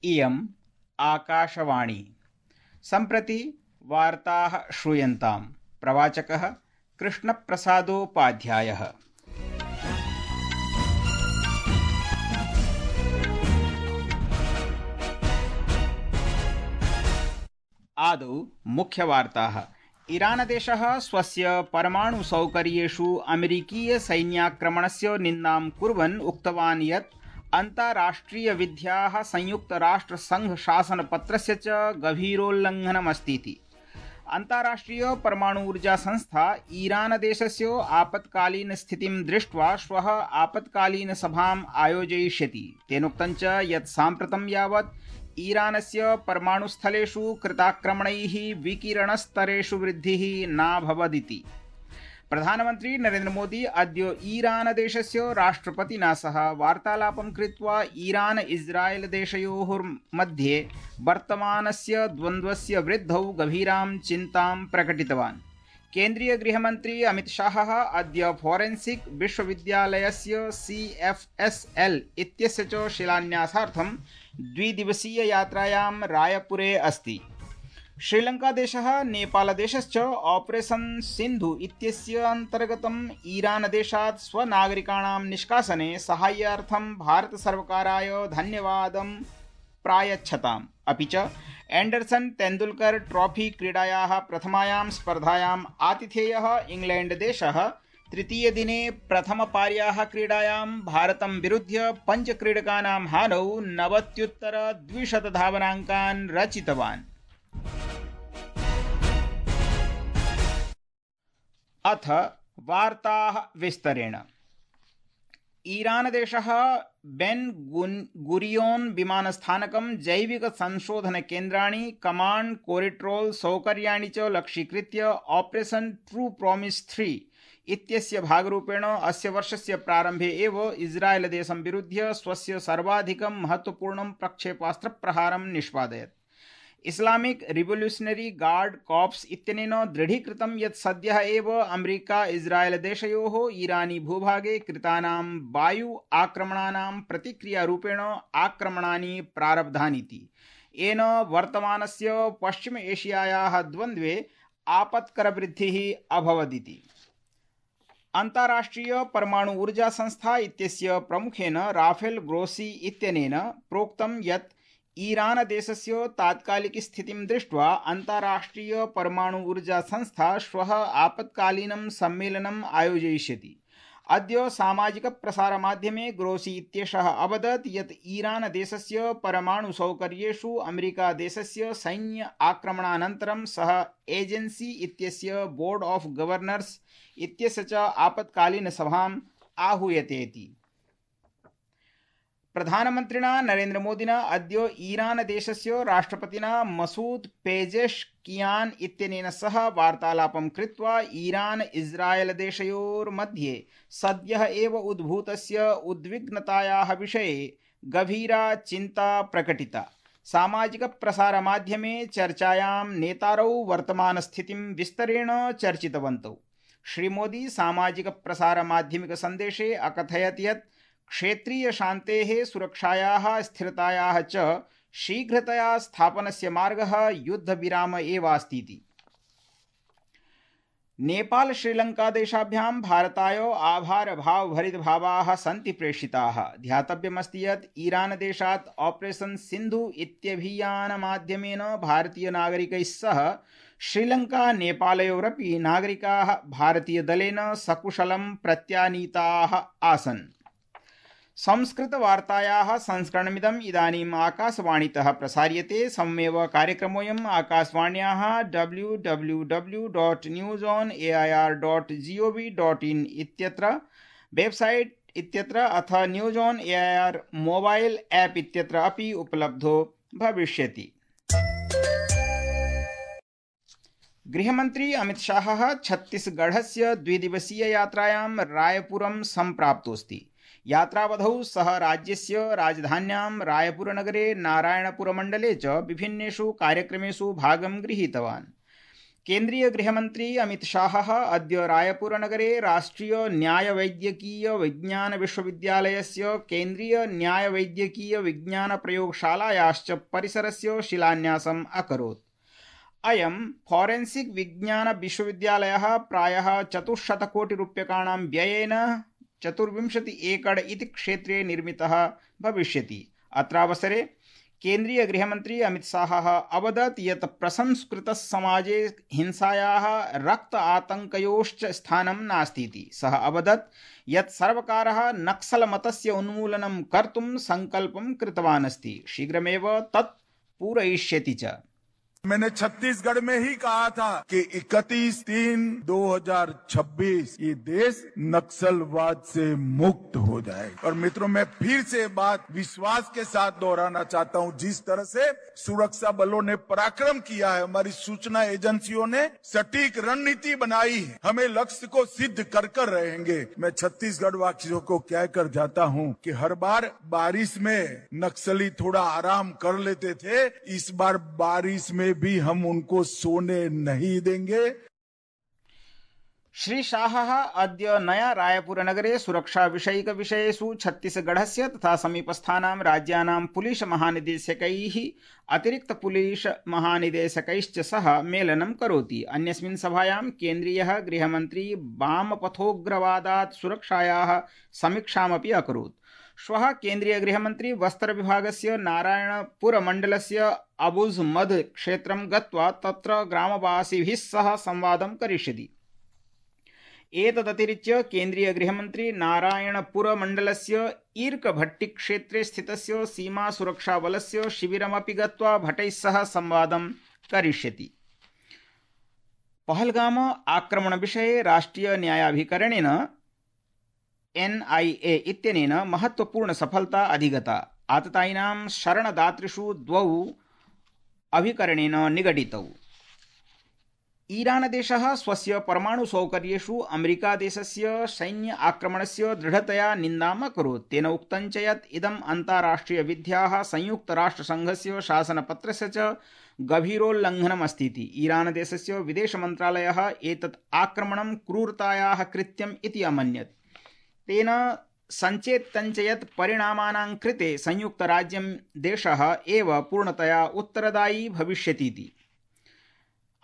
इयम् आकाशवाणी। सम्प्रति वार्ताः श्रूयन्ताम्। प्रवाचकः कृष्णप्रसादोपाध्यायः। आदौ मुख्यवार्ताः। ईरानदेशः स्वस्य परमाणुसौकर्येषु अमेरिकीयसैन्याक्रमणस्य निन्दां कुर्वन् उक्तवान् यत् अन्ताराष्ट्रियविध्याः संयुक्तराष्ट्रसङ्घशासनपत्रस्य च गभीरोल्लङ्घनमस्तीति। अन्ताराष्ट्रिय परमाणु ऊर्जा संस्था ईरानदेशस्य आपत्कालीनस्थितिं दृष्ट्वा श्वः आपत्कालीनसभाम् आयोजयिष्यति। तेनोक्तं च यत् साम्प्रतं यावत् ईरानस्य परमाणुस्थलेषु कृताक्रमणैः विकिरणस्तरेषु वृद्धिः नाभवदिति। प्रधानमन्त्री नरेन्द्र मोदी अद्य ईरानदेशस्य राष्ट्रपतिना सह वार्तालापं कृत्वा ईरान इस्राएल देशयोः मध्ये वर्तमानस्य द्वन्द्वस्य वृद्धौ गभीरां चिन्तां प्रकटितवान्। केन्द्रीय गृहमन्त्री अमित शाहः अद्य फोरेन्सिक विश्वविद्यालयस्य CFSL इत्यस्य च शिलान्यासार्थं द्विदिवसीययात्रायां रायपुरे अस्ति। श्रीलङ्कादेशः नेपालदेशश्च ऑपरेशन सिन्धु इत्यस्य अन्तर्गतम् ईरानदेशात् स्वनागरिकाणां निष्कासने साहाय्यार्थं भारतसर्वकाराय धन्यवादं प्रायच्छताम्। अपि च एंडरसन तेंदुलकर ट्रॉफी क्रीडायाः प्रथमायां स्पर्धायाम् आतिथेयः इंग्लैंडदेशः तृतीयदिने प्रथमपार्याः क्रीडायां भारतं विरुध्य पञ्चक्रीडकानां हानौ 90-200 धावनाङ्कान् रचितवान्। अथ वार्ताः विस्तरेण। ईरानदेशः बेन गुरियोन विमानस्थानकं जैविक संशोधन केन्द्राणि कमांड कोरिट्रोल सौकर्याणि च लक्ष्यीकृत्य ऑपरेशन ट्रू प्रॉमिस 3 इत्यस्य भागरूपेण अस्य वर्षस्य प्रारम्भे एव इस्राएल देशं विरुध्य स्वस्य सर्वाधिकं महत्वपूर्णं प्रक्षेपास्त्रप्रहारं निष्पादयत्। इस्लामिक रिवोल्यूशनरी गार्ड कॉर्प्स इत्यनेन दृढीकृतं यत् सद्यः एव अमेरिका इस्राएल देशयोः ईरानी भूभागे कृतानां वायु आक्रमणानां प्रतिक्रियारूपेण आक्रमणानि प्रारब्धानीति। येन वर्तमानस्य पश्चिम एशियायाः द्वन्द्वे आपत्करवृद्धिः अभवदिति। अन्ताराष्ट्रिय परमाणु ऊर्जा संस्था इत्यस्य प्रमुखेन राफेल ग्रोसी इत्यनेन प्रोक्तं यत् ईरानदेशस्य तात्कालिकस्थितिं दृष्ट्वा अन्ताराष्ट्रिय परमाणु ऊर्जा संस्था श्वः आपत्कालीनं सम्मेलनम् आयोजयिष्यति। अद्य सामाजिकप्रसारमाध्यमे ग्रोसी इत्येषः अवदत् यत् ईरानदेशस्य परमाणुसौकर्येषु अमेरिकादेशस्य सैन्य आक्रमणानन्तरं सः एजेन्सी इत्यस्य बोर्ड ऑफ गवर्नर्स इत्यस्य च आपत्कालीनसभाम् आहूयतेति। प्रधानमन्त्रिणा नरेन्द्र मोदिना अद्य ईरानदेशस्य राष्ट्रपतिना मसूद पेजेश्कियान इत्यनेन सह वार्तालापं कृत्वा ईरान इस्राएल देशयोर्मध्ये सद्यः एव उद्भूतस्य उद्विग्नतायाः विषये गभीरा चिन्ता प्रकटिता। सामाजिकप्रसारमाध्यमे चर्चायां नेतारौ वर्तमानस्थितिं विस्तरेण चर्चितवन्तौ। श्रीमोदी सामाजिकप्रसारमाध्यमिकसन्देशे अकथयत् यत् क्षेत्रीय शान्तेः सुरक्षायाः स्थिरतायाः च शीघ्रतया स्थापनस्य मार्गः युद्धविराम एवास्तीति। नेपाल श्रीलंका देशाभ्यां भारताय आभारभावभरितभावाः सन्ति प्रेषिताः। ध्यातव्यमस्ति यत् ईरानदेशात् ऑपरेशन सिन्धु इत्यभियानमाध्यमेन भारतीयनागरिकैः सह श्रीलंका नेपालयोरपि नागरिकाः भारतीयदलेन सकुशलं प्रत्यानीताः आसन्। संस्कृतवार्तायाः संस्करणमिदम् इदानीम् आकाशवाणीतः प्रसार्यते। सममेव कार्यक्रमोऽयम् आकाशवाण्याः www.newsonair.gov.in इत्यत्र वेबसाइट इत्यत्र अथ news on AIR mobile app इत्यत्र अपि उपलब्धो भविष्यति। गृहमन्त्री अमित शाहः छत्तीसगढ़स्य द्विदिवसीययात्रायां रायपुरं सम्प्राप्तोऽस्ति। यात्रावधौ सः राज्यस्य राजधान्यां रायपुरनगरे नारायणपुरमण्डले च विभिन्नेषु कार्यक्रमेषु भागं गृहीतवान्। केन्द्रीय गृहमन्त्री अमित शाहः अद्य रायपुरनगरे राष्ट्रिय न्यायवैद्यकीय विज्ञान विश्वविद्यालयस्य केन्द्रीय न्यायवैद्यकीय विज्ञान प्रयोगशालायाश्च परिसरस्य शिलान्यासम् अकरोत्। अयं फोरेन्सिक विज्ञान विश्वविद्यालयः प्रायः 400 कोटिरूप्यकाणां व्ययेन 24 एकड़ इति क्षेत्रे निर्मितः भविष्यति। अत्रावसरे केन्द्रीय गृहमन्त्री अमित शाहः अवदत् यत् प्रसंस्कृतसमाजे हिंसायाः रक्त आतङ्कयोश्च स्थानं नास्तीति। सः अवदत् यत् सर्वकारः नक्सलमतस्य उन्मूलनं कर्तुं सङ्कल्पं कृतवान् अस्ति, शीघ्रमेव तत् पूरयिष्यति च। मैंने छत्तीसगढ़ में ही कहा था कि 31/3/2026 ये देश नक्सलवाद से मुक्त हो जाए। और मित्रों, मैं फिर से बात विश्वास के साथ दोहराना चाहता हूं, जिस तरह से सुरक्षा बलों ने पराक्रम किया है, हमारी सूचना एजेंसियों ने सटीक रणनीति बनाई है, हमें लक्ष्य को सिद्ध कर रहेंगे। मैं छत्तीसगढ़ वासियों को कहकर जाता हूं कि हर बार बारिश में नक्सली थोड़ा आराम कर लेते थे, इस बार बारिश में भी हम उनको सोने नहीं देंगे। श्री शाहः अद्य नया रायपुरनगरे सुरक्षाविषयिकविषयेषु छत्तीसगढ़स्य तथा समीपस्थानां राज्यानां पुलिस महानिदेशकैः अतिरिक्त पुलिस महानिदेशकैश्च सह मेलनं करोति। अन्यस्मिन् सभायां केन्द्रीयः गृहमन्त्री वामपथोग्रवादात् सुरक्षायाः समीक्षामपि अकरोत्। श्वः केन्द्रीय गृहमन्त्री बस्तर विभागस्य नारायणपुरमण्डलस्य अबुझमद क्षेत्रं गत्वा तत्र ग्रामवासिभिः सह संवादं करिष्यति। एतदतिरिच्य केन्द्रीय गृहमन्त्री नारायणपुरमण्डलस्य ईर्कभट्टी क्षेत्रे स्थितस्य सीमा सुरक्षाबलस्य शिबिरमपि गत्वा भटैः सह संवादं करिष्यति। पहलगाम आक्रमणविषये राष्ट्रिय न्यायाभिकरणेन NIA इत्यनेन महत्वपूर्ण सफलता अधिगता। आततायिनां शरणदातृषु 2 अभिकरणेन निगडितौ। ईरानदेशः स्वस्य परमाणुसौकर्येषु अमेरिकादेशस्य सैन्य आक्रमणस्य दृढतया निन्दाम् अकरोत्। तेन उक्तं च यत् इदम् अन्ताराष्ट्रियविध्याः संयुक्तराष्ट्रसङ्घस्य शासनपत्रस्य च गभीरोल्लङ्घनमस्तीति। ईरानदेशस्य विदेशमन्त्रालयः एतत् आक्रमणं क्रूरतायाः कृत्यम् इति अमन्यत्। तेन सञ्चेत्तं च यत् परिणामानां कृते संयुक्तराज्यं देशः एव पूर्णतया उत्तरदायी भविष्यतीति।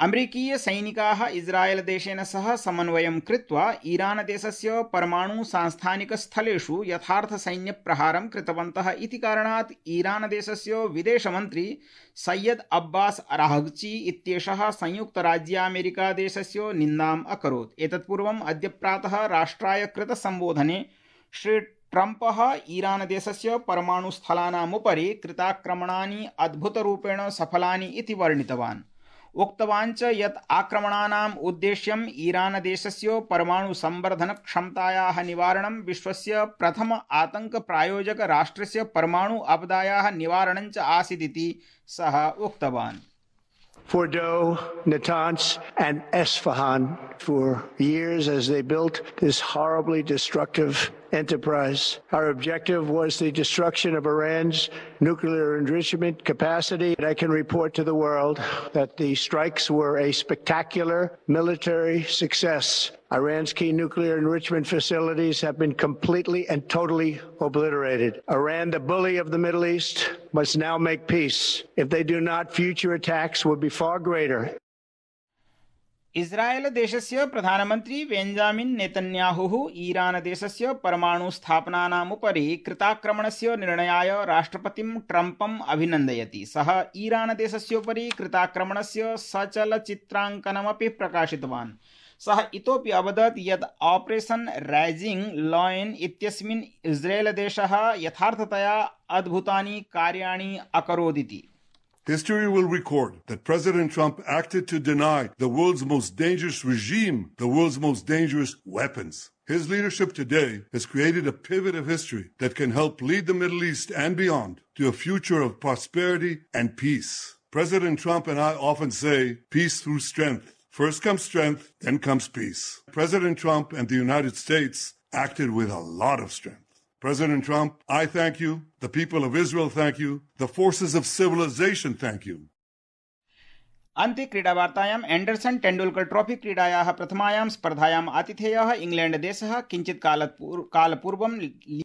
अमेरिकीय सैनिकाः इस्राएल देशेन सह समन्वयं कृत्वा ईरान देशस्य परमाणु सांस्थानिकस्थलेषु यथार्थ सैन्यप्रहारं कृतवन्तः इति कारणात् ईरान देशस्य विदेशमन्त्री सैयद अब्बास अराघची इत्येषः संयुक्तराज्यामेरिका देशस्य निन्दाम् अकरोत्। एतत्पूर्वम् अद्य प्रातः राष्ट्राय कृतसम्बोधने श्री ट्रम्पः ईरान देशस्य परमाणुस्थलानामुपरि कृताक्रमणानि अद्भुतरूपेण सफलानि इति वर्णितवान्। उक्तवान् च यत् आक्रमणानाम् उद्देश्यम् ईरान देशस्य परमाणु संवर्धन क्षमतायाः निवारणं, विश्वस्य प्रथम आतंक प्रायोजक राष्ट्रस्य परमाणु आपदायाः निवारणं च आसीदिति सः उक्तवान्। Fordo, Natanz, and Esfahan for years as they built this horribly destructive enterprise. Our objective was the destruction of Iran's nuclear enrichment capacity. I can report to the world that the strikes were a spectacular military success. Iran's key nuclear enrichment facilities have been completely and totally obliterated. Iran, the bully of the Middle East, must now make peace. If they do not, future attacks will be far greater. इस्राएल देशस्य प्रधानमन्त्री Benjamin नेतन्याहुः Iran देशस्य परमाणु स्थापनानामुपरि कृताक्रमणस्य निर्णयाय राष्ट्रपतिं ट्रम्पम् अभिनन्दयति। सः ईरान देशस्योपरि कृताक्रमणस्य सचलचित्राङ्कनमपि प्रकाशितवान्। सः इतोपि अवदत् यत् ऑपरेशन राइजिंग लायन इत्यस्मिन् इस्राएल देशः यथार्थतया अद्भुतानि कार्याणि अकरोदिति। History will record that President Trump acted to deny the world's most dangerous regime the world's most dangerous weapons. His leadership today has created a pivot of history that can help lead the Middle East and beyond to a future of prosperity and peace. President Trump and I often say, peace through strength. First comes strength, then comes peace. President Trump and the United States acted with a lot of strength. President Trump, I thank you. The people of Israel thank you. The forces of civilization thank you. अन्ते क्रीडावार्तायाम् Anderson Tendulkar trophy क्रीडायाः प्रथमायां स्पर्धायाम् आतिथेयः England देशः किञ्चित् कालपूर्वं